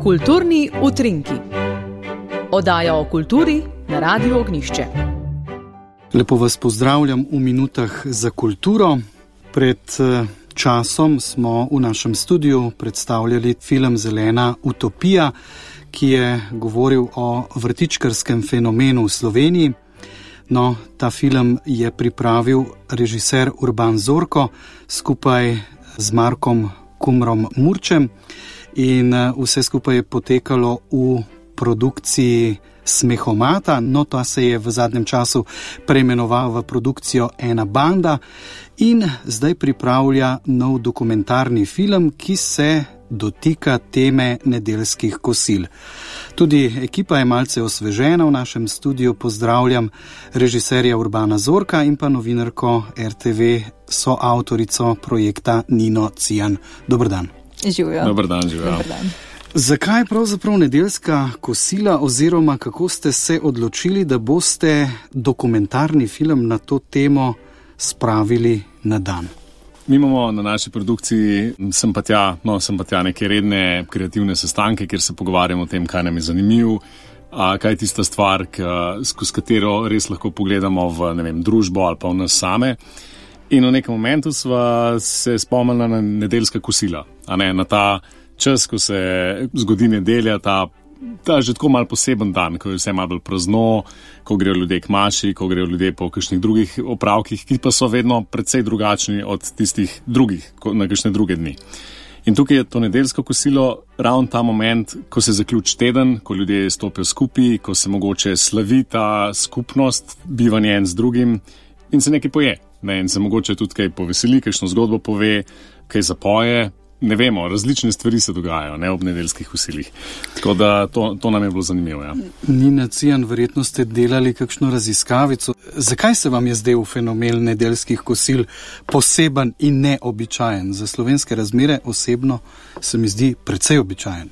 Kulturni utrinki. Oddaja o kulturi na Radiu Ognjišče. Lepo vas pozdravljam v minutah za kulturo. Pred časom smo v našem studiu predstavljali film Zelena utopija, ki je govoril o vrtičkarskem fenomenu v Sloveniji. No, ta film je pripravil režiser Urban Zorko skupaj z Markom Kumrom Murčem in vse skupaj je potekalo v produkciji Smehomata, no ta se je v zadnjem času preimenoval v produkcijo Ena banda in zdaj pripravlja nov dokumentarni film, ki se dotika teme nedeljskih kosil. Tudi ekipa je malce osvežena v našem studiu. Pozdravljam režiserja Urbana Zorka in pa novinarko RTV, soavtorico projekta Nino Cijan. Dober dan. Živijo. Dober dan, živijo. Zakaj pravzaprav nedeljska kosila oziroma kako ste se odločili, da boste dokumentarni film na to temo spravili na dan? Mi imamo na naši produkciji sem pa tja neke redne kreativne sestanke, kjer se pogovarjamo o tem, kaj nam je zanimivo, kaj je tista stvar, skozi katero res lahko pogledamo v družbo ali pa v nas same. In v nekem momentu sva se spomnila na nedeljska kosila, na ta čas, ko se zgodi nedelja, ta že tako malo poseben dan, ko je vse malo bolj prazno, ko grejo ljudje k maši, ko grejo ljudje po kakšnih drugih opravkih, ki pa so vedno precej drugačni od tistih drugih, na kakšne druge dni. In tukaj je to nedeljsko kosilo ravno ta moment, ko se zaključi teden, ko ljudje stopijo skupaj, ko se mogoče slavi ta skupnost, bivanje en z drugim in se nekaj poje. In se mogoče tudi kaj poveseli, kakšno zgodbo pove, kaj zapoje. Ne vemo, različne stvari se dogajajo ob nedeljskih kosilih. Tako da to nam je bilo zanimivo. Ja. Nina Cijan, verjetno ste delali kakšno raziskavico. Zakaj se vam je zdel fenomen nedeljskih kosil poseben in neobičajen? Za slovenske razmere osebno se mi zdi precej običajen.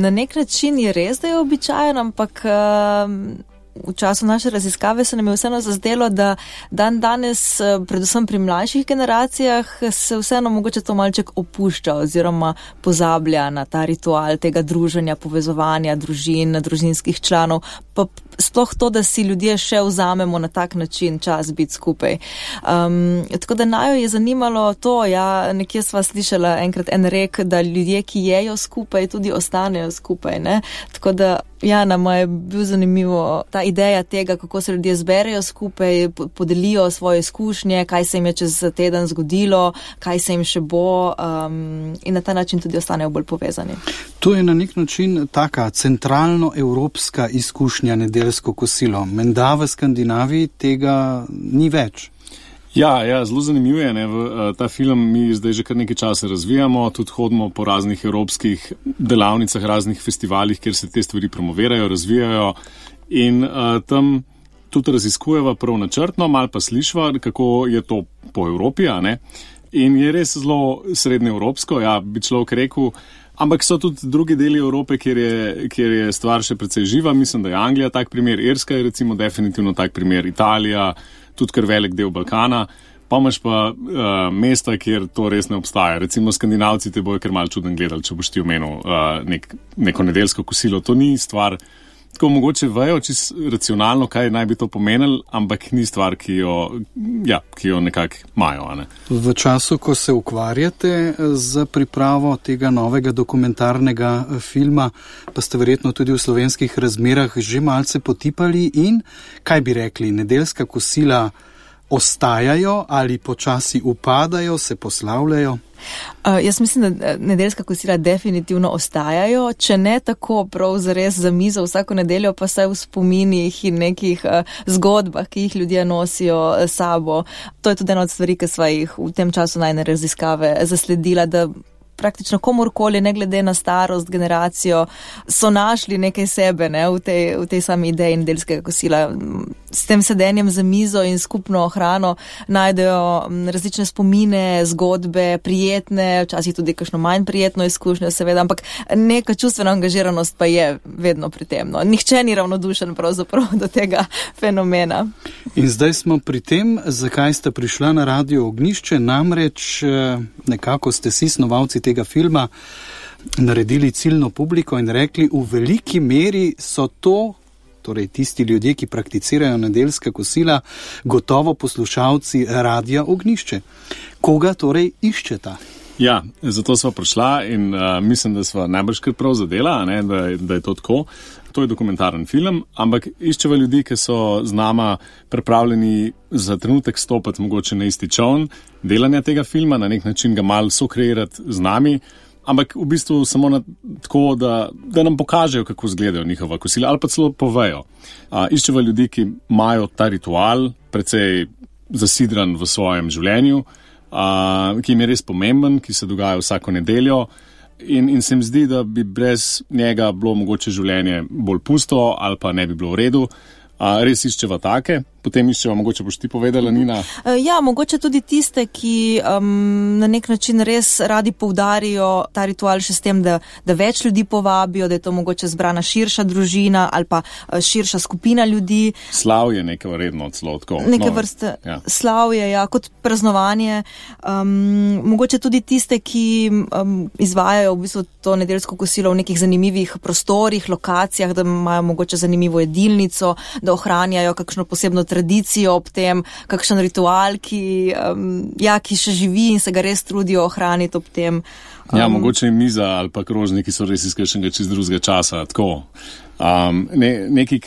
Na nek način je res, da je običajen, ampak v času naše raziskave se nam je vseeno zazdelo, da danes, predvsem pri mlajših generacijah, se vseeno mogoče to malček opušča oziroma pozablja na ta ritual tega druženja, povezovanja družin, družinskih članov, pa sploh to, da si ljudje še vzamemo na tak način čas biti skupaj. Tako da najo je zanimalo to, nekje sva slišala enkrat en rek, da ljudje, ki jejo skupaj, tudi ostanejo skupaj, ne? Tako da nama je bil zanimivo ta ideja tega, kako se ljudje zberejo skupaj, podelijo svoje izkušnje, kaj se jim je čez teden zgodilo, kaj se jim še bo, in na ta način tudi ostanejo bolj povezani. To je na nek način taka centralno-evropska izkušnja nedeljsko kosilo. Menda v Skandinaviji tega ni več. Ja, zelo zanimivo je. Ta film mi zdaj že kar nekaj časa razvijamo, tudi hodimo po raznih evropskih delavnicah, raznih festivalih, kjer se te stvari promovirajo, razvijajo in tam tudi raziskujeva prav načrtno, malo pa slišva, kako je to po Evropi, in je res zelo srednjeevropsko, bi človek rekel, ampak so tudi drugi deli Evrope, kjer je stvar še precej živa. Mislim, da je Anglija tak primer, Irska je recimo definitivno tak primer, Italija, tudi kar velik del Balkana, pa imaš pa mesta, kjer to res ne obstaja. Recimo Skandinavci te bojo kar malo čuden gledali, če boš ti omenil neko nedeljsko kosilo. To ni stvar, tako mogoče vejo čisto racionalno, kaj naj bi to pomenilo, ampak ni stvar, ki jo nekako imajo. V času, ko se ukvarjate z pripravo tega novega dokumentarnega filma, pa ste verjetno tudi v slovenskih razmerah že malce potipali in, kaj bi rekli, nedeljska kosila ostajajo ali počasi upadajo, se poslavljajo? Jaz mislim, da nedeljska kosila definitivno ostajajo, če ne tako prav zares za mizo vsako nedeljo, pa saj v spominih in nekih zgodbah, ki jih ljudje nosijo sabo. To je tudi ena od stvari, ki sva jih v tem času najne raziskave zasledila, da praktično komorkoli, ne glede na starost, generacijo, so našli nekaj sebe v tej sami ideji nedeljskega kosila. S tem sedenjem za mizo in skupno hrano najdejo različne spomine, zgodbe, prijetne, včasih tudi kakšno manj prijetno izkušnjo, seveda, ampak neka čustvena angažiranost pa je vedno pri tem. Nihče ni ravnodušen pravzaprav do tega fenomena. In zdaj smo pri tem, zakaj ste prišla na Radio Ognjišče, namreč nekako ste si snovalci tega filma naredili ciljno publiko in rekli, v veliki meri so to, torej tisti ljudje, ki prakticirajo nedeljska kosila, gotovo poslušalci Radia Ognjišče. Koga torej iščeta? Ja, zato sva prišla in mislim, da sva najbrž kar prav zadela, ne, da je to tako. To je dokumentaren film, ampak iščeva ljudi, ki so z nama pripravljeni za trenutek stopiti mogoče na isti čoln delanja tega filma, na nek način ga malo sokreirati z nami, ampak v bistvu samo tako, da nam pokažejo, kako izgledajo njihova kosila ali pa celo povejo. Iščeva ljudi, ki imajo ta ritual precej zasidran v svojem življenju, ki jim je res pomemben, ki se dogaja vsako nedeljo. In se mi zdi, da bi brez njega bilo mogoče življenje bolj pusto ali pa ne bi bilo v redu. Res iščeva take, potem iščeva, mogoče boš ti povedala, Nina? Ja, mogoče tudi tiste, ki na nek način res radi poudarijo ta ritual še s tem, da več ljudi povabijo, da je to mogoče zbrana širša družina ali pa širša skupina ljudi. Slavje neke vredno celo tako. Neke vrste slavje, ja, kot praznovanje. Mogoče tudi tiste, ki izvajajo v bistvu to nedeljsko kosilo v nekih zanimivih prostorih, lokacijah, da imajo mogoče zanimivo jedilnico, da ohranjajo kakšno posebno tradicijo ob tem, kakšen ritual, ki še živi in se ga res trudijo ohraniti ob tem. Ja, mogoče je miza ali pa krožniki so res iz kakšnega čist drugega časa, tako. Nekaj,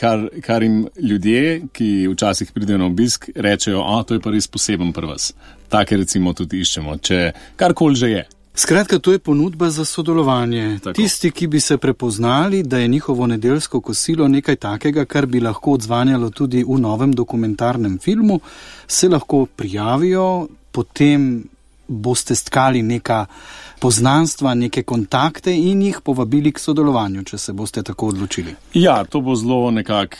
kar jim ljudje, ki včasih pridejo na obisk, rečejo, to je pa res poseben pri vas. Take recimo tudi iščemo, če karkoli že je. Skratka, to je ponudba za sodelovanje. Tako. Tisti, ki bi se prepoznali, da je njihovo nedeljsko kosilo nekaj takega, kar bi lahko odzvanjalo tudi v novem dokumentarnem filmu, se lahko prijavijo, potem boste stkali neka poznanstva, neke kontakte in jih povabili k sodelovanju, če se boste tako odločili. Ja, to bo zelo nekako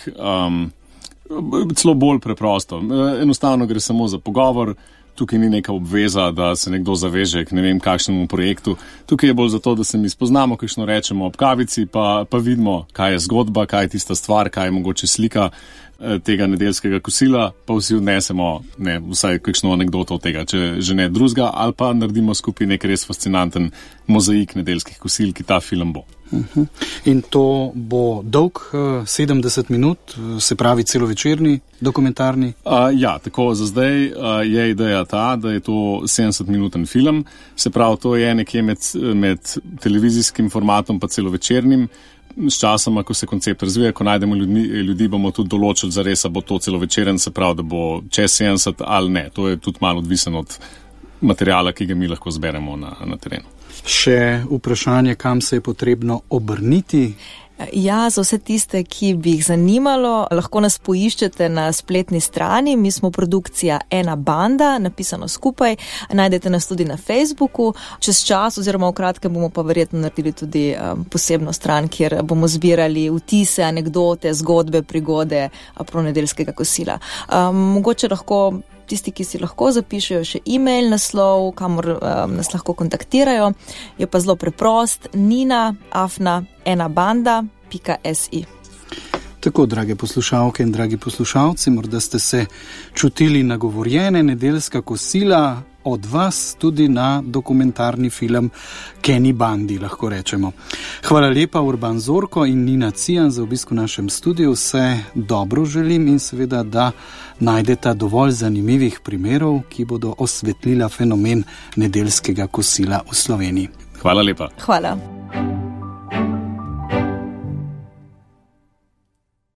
celo bolj preprosto. Enostavno gre samo za pogovor. Tukaj ni neka obveza, da se nekdo zaveže k ne vem kakšnemu projektu. Tukaj je bolj zato, da se mi spoznamo, kakšno rečemo ob kavici, pa vidimo, kaj je zgodba, kaj je tista stvar, kaj je mogoče slika tega nedeljskega kosila, pa vsi odnesemo vsaj kakšno anekdoto od tega, če že ne drugega, ali pa naredimo skupaj nek res fascinanten mozaik nedeljskih kosil, ki ta film bo. In to bo dolg 70 minut, se pravi celovečerni, dokumentarni? Ja, tako za zdaj je ideja ta, da je to 70-minuten film, se pravi, to je nekje med televizijskim formatom pa celovečernim. S časom, ko se koncept razvija, ko najdemo ljudi, bomo tudi določili zares, bo to celovečeren, se pravi, da bo čez 70 ali ne. To je tudi malo odvisen od materijala, ki ga mi lahko zberemo na terenu. Še vprašanje, kam se je potrebno obrniti? Ja, za vse tiste, ki bi jih zanimalo, lahko nas poiščete na spletni strani. Mi smo produkcija Ena banda, napisano skupaj. Najdete nas tudi na Facebooku. Čez čas oziroma v kratkem bomo pa verjetno naredili tudi posebno stran, kjer bomo zbirali vtise, anekdote, zgodbe, prigode nedeljskega kosila. Mogoče lahko tisti, ki si lahko zapišejo še e-mail naslov, kamor nas lahko kontaktirajo, je pa zelo preprost, nina@enabanda.si. Tako, drage poslušalke in dragi poslušalci, morda ste se čutili nagovorjene, nedeljska kosila od vas tudi na dokumentarni film K Eni bandi, lahko rečemo. Hvala lepa Urban Zorko in Nina Cijan za obisk v našem studiu. Vse dobro želim in seveda, da najdeta dovolj zanimivih primerov, ki bodo osvetlila fenomen nedeljskega kosila v Sloveniji. Hvala lepa. Hvala.